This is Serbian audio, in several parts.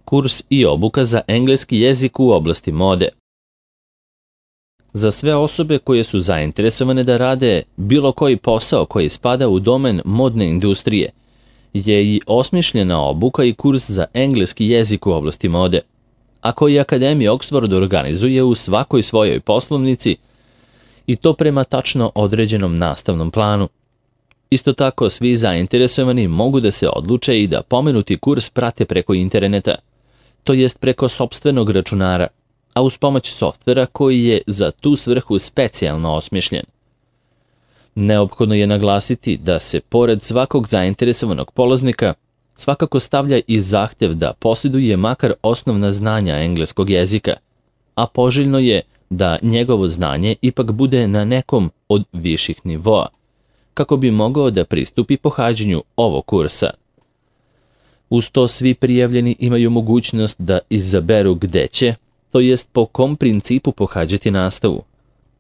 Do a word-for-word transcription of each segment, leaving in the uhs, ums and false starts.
Kurs i obuka za engleski jezik u oblasti mode. Za sve osobe koje su zainteresovane da rade bilo koji posao koji spada u domen modne industrije, je i osmišljena obuka i kurs za engleski jezik u oblasti mode, a koji Akademija Oxford organizuje u svakoj svojoj poslovnici i to prema tačno određenom nastavnom planu. Isto tako, svi zainteresovani mogu da se odluče i da pomenuti kurs prate preko interneta, to jest preko sopstvenog računara, a uz pomoć softvera koji je za tu svrhu specijalno osmišljen. Neophodno je naglasiti da se pored svakog zainteresovanog polaznika svakako stavlja i zahtev da posjeduje makar osnovna znanja engleskog jezika, a poželjno je da njegovo znanje ipak bude na nekom od viših nivoa, kako bi mogao da pristupi pohađanju ovog kursa. Uz to svi prijavljeni imaju mogućnost da izaberu gde će, to jest po kom principu pohađati nastavu,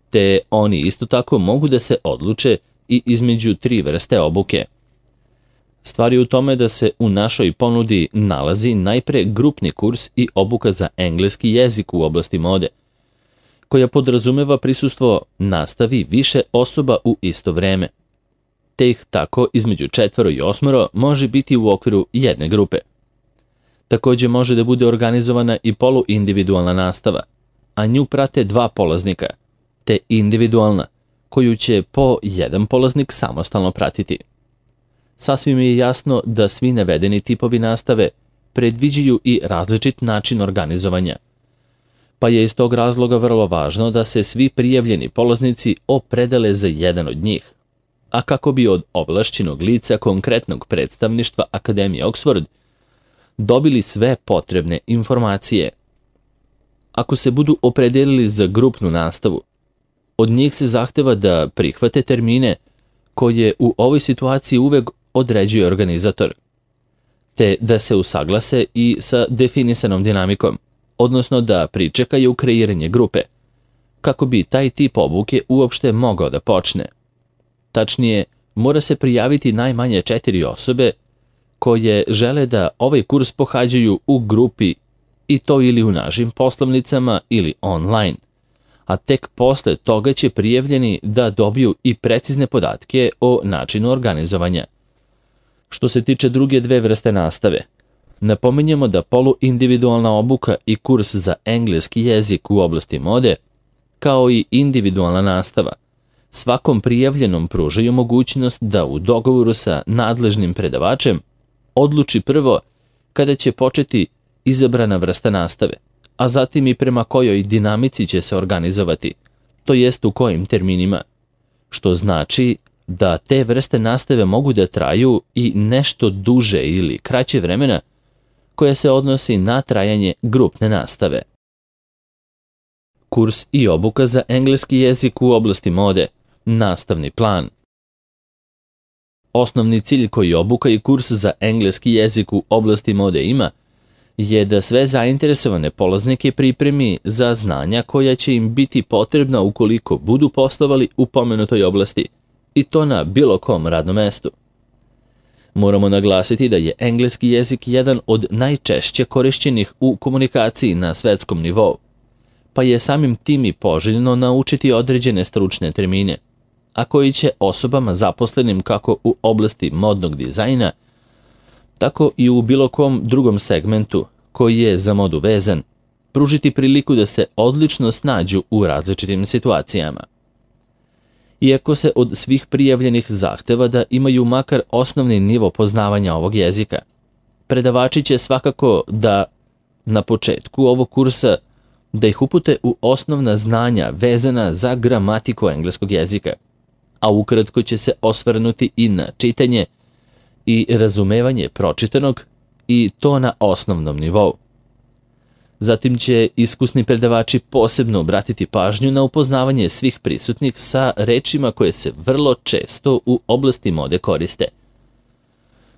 te oni isto tako mogu da se odluče i između tri vrste obuke. Stvar je u tome da se u našoj ponudi nalazi najpre grupni kurs i obuka za engleski jezik u oblasti mode, koja podrazumeva prisustvo nastavi više osoba u isto vreme, te ih tako između četvoro i osmoro može biti u okviru jedne grupe. Također može da bude organizovana i poluindividualna nastava, a nju prate dva polaznika, te individualna, koju će po jedan polaznik samostalno pratiti. Sasvim je jasno da svi navedeni tipovi nastave predviđaju i različit način organizovanja, pa je iz tog razloga vrlo važno da se svi prijavljeni polaznici opredele za jedan od njih, a kako bi od ovlašćenog lica konkretnog predstavništva Akademije Oxford dobili sve potrebne informacije. Ako se budu opredelili za grupnu nastavu, od njih se zahteva da prihvate termine koje u ovoj situaciji uvek određuje organizator, te da se usaglase i sa definisanom dinamikom, odnosno da pričekaju kreiranje grupe, kako bi taj tip obuke uopšte mogao da počne. Tačnije, mora se prijaviti najmanje četiri osobe koje žele da ovaj kurs pohađaju u grupi, i to ili u našim poslovnicama ili online, a tek posle toga će prijavljeni da dobiju i precizne podatke o načinu organizovanja. Što se tiče druge dve vrste nastave, napominjemo da poluindividualna obuka i kurs za engleski jezik u oblasti mode, kao i individualna nastava, svakom prijavljenom pružaju mogućnost da u dogovoru sa nadležnim predavačem odluči prvo kada će početi izabrana vrsta nastave, a zatim i prema kojoj dinamici će se organizovati, to jest u kojim terminima, što znači da te vrste nastave mogu da traju i nešto duže ili kraće vremena koje se odnosi na trajanje grupne nastave. Kurs i obuka za engleski jezik u oblasti mode, nastavni plan. Osnovni cilj koji obuka i kurs za engleski jezik u oblasti mode ima je da sve zainteresovane polaznike pripremi za znanja koja će im biti potrebna ukoliko budu poslovali u pomenutoj oblasti, i to na bilo kom radnom mestu. Moramo naglasiti da je engleski jezik jedan od najčešće korišćenih u komunikaciji na svetskom nivou, pa je samim tim i poželjno naučiti određene stručne termine, a koji će osobama zaposlenim kako u oblasti modnog dizajna, tako i u bilo kom drugom segmentu koji je za modu vezan, pružiti priliku da se odlično snađu u različitim situacijama. Iako se od svih prijavljenih zahteva da imaju makar osnovni nivo poznavanja ovog jezika, predavači će svakako da na početku ovog kursa da ih upute u osnovna znanja vezana za gramatiku engleskog jezika, a ukratko će se osvrnuti i na čitanje i razumevanje pročitanog, i to na osnovnom nivou. Zatim će iskusni predavači posebno obratiti pažnju na upoznavanje svih prisutnih sa rečima koje se vrlo često u oblasti mode koriste.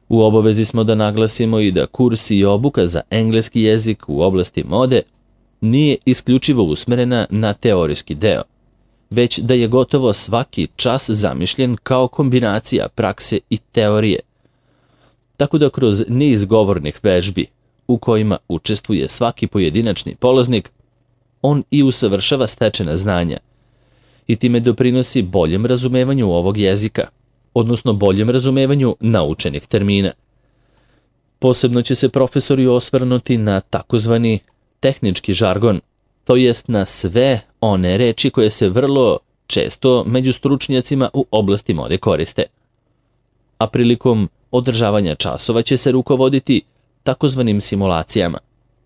U obavezi smo da naglasimo i da kurs i obuka za engleski jezik u oblasti mode nije isključivo usmerena na teorijski deo, već da je gotovo svaki čas zamišljen kao kombinacija prakse i teorije. Tako da kroz niz govornih vežbi, u kojima učestvuje svaki pojedinačni polaznik, on i usavršava stečena znanja i time doprinosi boljem razumevanju ovog jezika, odnosno boljem razumevanju naučenih termina. Posebno će se profesori osvrnuti na takozvani tehnički žargon, to jest na sve one reči koje se vrlo često među stručnjacima u oblasti mode koriste. A prilikom održavanja časova će se rukovoditi takozvanim simulacijama,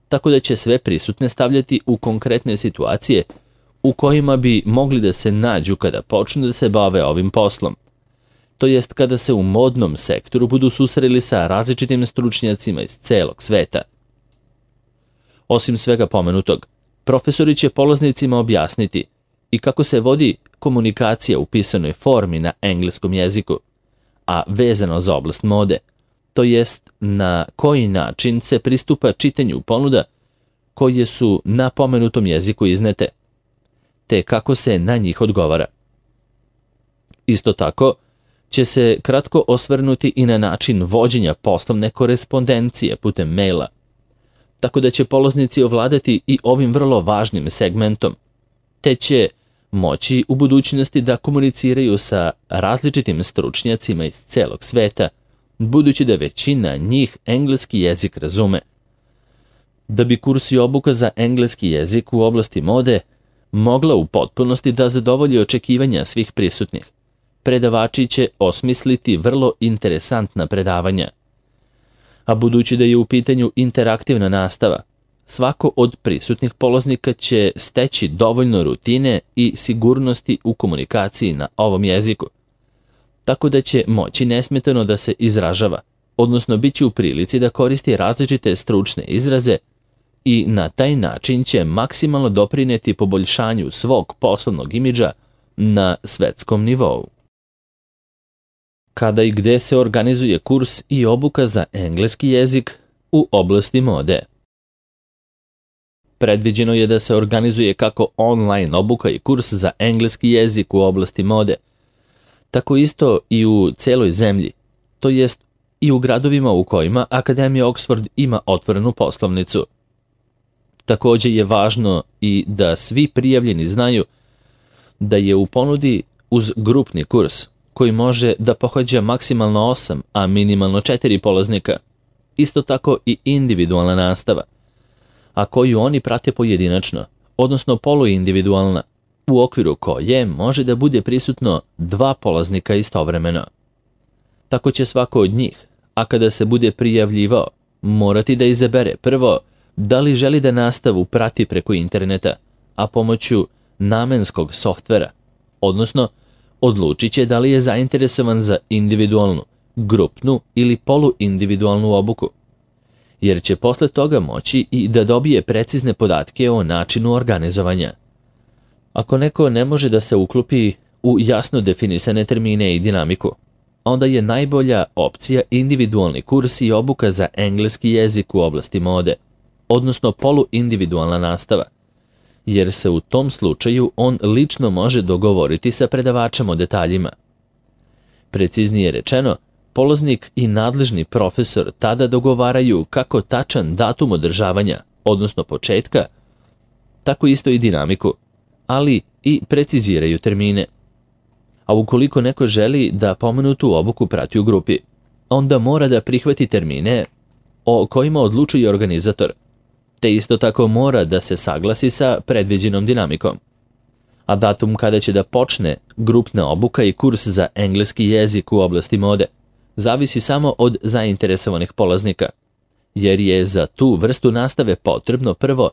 tako da će sve prisutne stavljati u konkretne situacije u kojima bi mogli da se nađu kada počnu da se bave ovim poslom, to jest kada se u modnom sektoru budu susreli sa različitim stručnjacima iz celog sveta. Osim svega pomenutog, profesori će polaznicima objasniti i kako se vodi komunikacija u pisanoj formi na engleskom jeziku, a vezano za oblast mode, to jest na koji način se pristupa čitanju ponuda koje su na pomenutom jeziku iznete, te kako se na njih odgovara. Isto tako će se kratko osvrnuti i na način vođenja poslovne korespondencije putem maila, tako da će polaznici ovladati i ovim vrlo važnim segmentom, te će moći u budućnosti da komuniciraju sa različitim stručnjacima iz celog sveta, budući da većina njih engleski jezik razume. Da bi kurs i obuka za engleski jezik u oblasti mode mogla u potpunosti da zadovolji očekivanja svih prisutnih, predavači će osmisliti vrlo interesantna predavanja. A budući da je u pitanju interaktivna nastava, svako od prisutnih polaznika će steći dovoljno rutine i sigurnosti u komunikaciji na ovom jeziku, tako da će moći nesmetano da se izražava, odnosno bit će u prilici da koristi različite stručne izraze i na taj način će maksimalno doprineti poboljšanju svog poslovnog imidža na svetskom nivou. Kada i gde se organizuje kurs i obuka za engleski jezik u oblasti mode? Predviđeno je da se organizuje kako online obuka i kurs za engleski jezik u oblasti mode, tako isto i u celoj zemlji, to jest i u gradovima u kojima Akademija Oxford ima otvorenu poslovnicu. Također je važno i da svi prijavljeni znaju da je u ponudi uz grupni kurs, koji može da pohađa maksimalno osam, a minimalno četiri polaznika, isto tako i individualna nastava, a koju oni prate pojedinačno, odnosno poluindividualna, u okviru koje može da bude prisutno dva polaznika istovremeno. Tako će svako od njih, a kada se bude prijavljivao, morati da izabere prvo da li želi da nastavu prati preko interneta, a pomoću namenskog softvera, odnosno odlučit će da li je zainteresovan za individualnu, grupnu ili poluindividualnu obuku, jer će posle toga moći i da dobije precizne podatke o načinu organizovanja. Ako neko ne može da se uklopi u jasno definisane termine i dinamiku, onda je najbolja opcija individualni kurs i obuka za engleski jezik u oblasti mode, odnosno poluindividualna nastava, jer se u tom slučaju on lično može dogovoriti sa predavačem o detaljima. Preciznije rečeno, polaznik i nadležni profesor tada dogovaraju kako tačan datum održavanja, odnosno početka, tako isto i dinamiku, ali i preciziraju termine. A ukoliko neko želi da pomenutu obuku prati u grupi, onda mora da prihvati termine o kojima odlučuje organizator, te isto tako mora da se saglasi sa predviđenom dinamikom. A datum kada će da počne grupna obuka i kurs za engleski jezik u oblasti mode zavisi samo od zainteresovanih polaznika, jer je za tu vrstu nastave potrebno prvo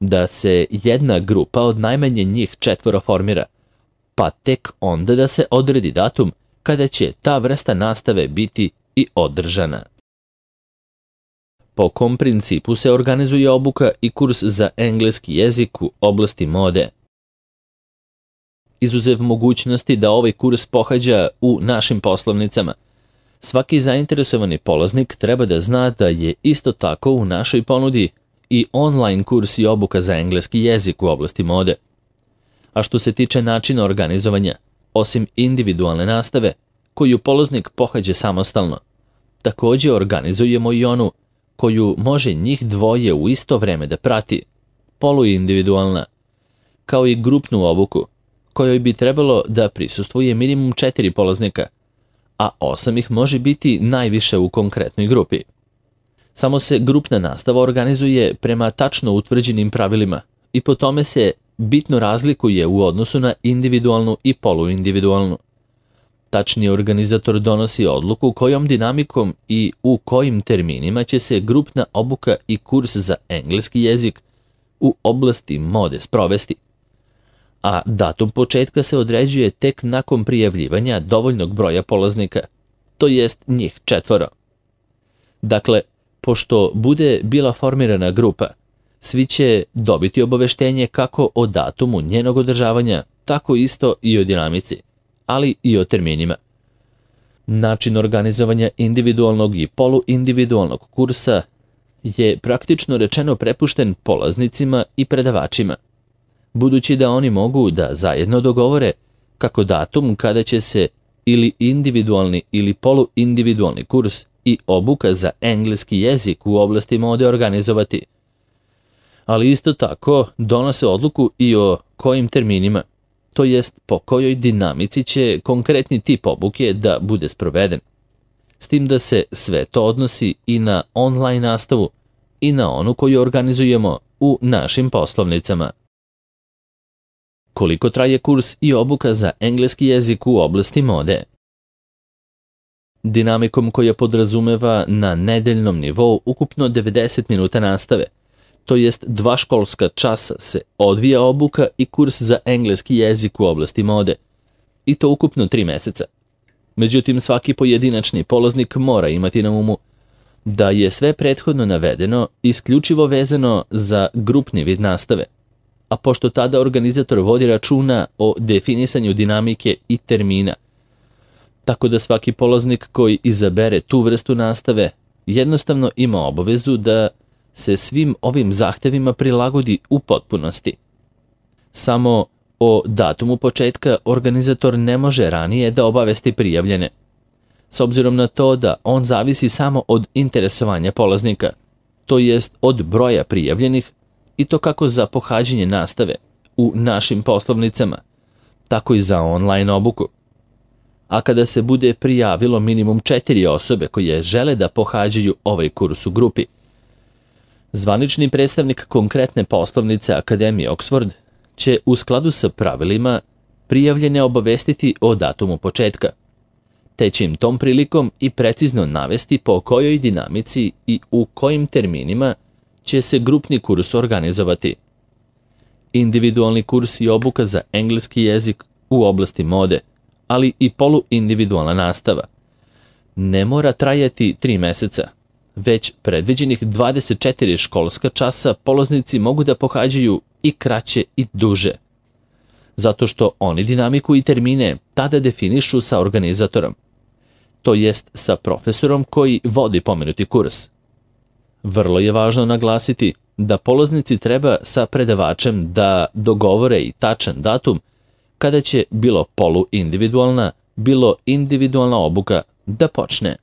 da se jedna grupa od najmanje njih četvoro formira, pa tek onda da se odredi datum kada će ta vrsta nastave biti i održana. Po kom principu se organizuje obuka i kurs za engleski jezik u oblasti mode? Izuzev mogućnosti da ovaj kurs pohađa u našim poslovnicama, svaki zainteresovani polaznik treba da zna da je isto tako u našoj ponudi i online kurs i obuka za engleski jezik u oblasti mode. A što se tiče načina organizovanja, osim individualne nastave, koju polaznik pohađa samostalno, također organizujemo i onu koju može njih dvoje u isto vreme da prati, poluindividualna, kao i grupnu obuku, kojoj bi trebalo da prisustvuje minimum četiri polaznika, a osam ih može biti najviše u konkretnoj grupi. Samo se grupna nastava organizuje prema tačno utvrđenim pravilima i po tome se bitno razlikuje u odnosu na individualnu i poluindividualnu. Tačni organizator donosi odluku kojom dinamikom i u kojim terminima će se grupna obuka i kurs za engleski jezik u oblasti mode sprovesti, a datum početka se određuje tek nakon prijavljivanja dovoljnog broja polaznika, to jest njih četvoro. Dakle, pošto bude bila formirana grupa, svi će dobiti obaveštenje kako o datumu njenog održavanja, tako isto i o dinamici, ali i o terminima. Način organizovanja individualnog i poluindividualnog kursa je praktično rečeno prepušten polaznicima i predavačima, budući da oni mogu da zajedno dogovore kako datum kada će se ili individualni ili poluindividualni kurs i obuka za engleski jezik u oblasti mode organizovati. Ali isto tako donose odluku i o kojim terminima, to jest po kojoj dinamici će konkretni tip obuke da bude sproveden. S tim da se sve to odnosi i na online nastavu i na onu koju organizujemo u našim poslovnicama. Koliko traje kurs i obuka za engleski jezik u oblasti mode? Dinamikom koja podrazumeva na nedeljnom nivou ukupno devedeset minuta nastave, to jest dva školska časa se odvija obuka i kurs za engleski jezik u oblasti mode, i to ukupno tri meseca. Međutim, svaki pojedinačni polaznik mora imati na umu da je sve prethodno navedeno isključivo vezano za grupni vid nastave, a pošto tada organizator vodi računa o definisanju dinamike i termina, tako da svaki polaznik koji izabere tu vrstu nastave jednostavno ima obavezu da se svim ovim zahtevima prilagodi u potpunosti. Samo o datumu početka organizator ne može ranije da obavesti prijavljene, s obzirom na to da on zavisi samo od interesovanja polaznika, to jest od broja prijavljenih, i to kako za pohađanje nastave u našim poslovnicama, tako i za online obuku. A kada se bude prijavilo minimum četiri osobe koje žele da pohađaju ovaj kurs u grupi, zvanični predstavnik konkretne poslovnice Akademije Oxford će u skladu sa pravilima prijavljene obavestiti o datumu početka, te će im tom prilikom i precizno navesti po kojoj dinamici i u kojim terminima će se grupni kurs organizovati. Individualni kurs i obuka za engleski jezik u oblasti mode, ali i poluindividualna nastava, ne mora trajati tri meseca, već predviđenih dvadeset četiri školska časa polaznici mogu da pohađaju i kraće i duže, zato što oni dinamiku i termine tada definišu sa organizatorom, to jest sa profesorom koji vodi pomenuti kurs. Vrlo je važno naglasiti da polaznici treba sa predavačem da dogovore i tačan datum kada će bilo poluindividualna, bilo individualna obuka da počne.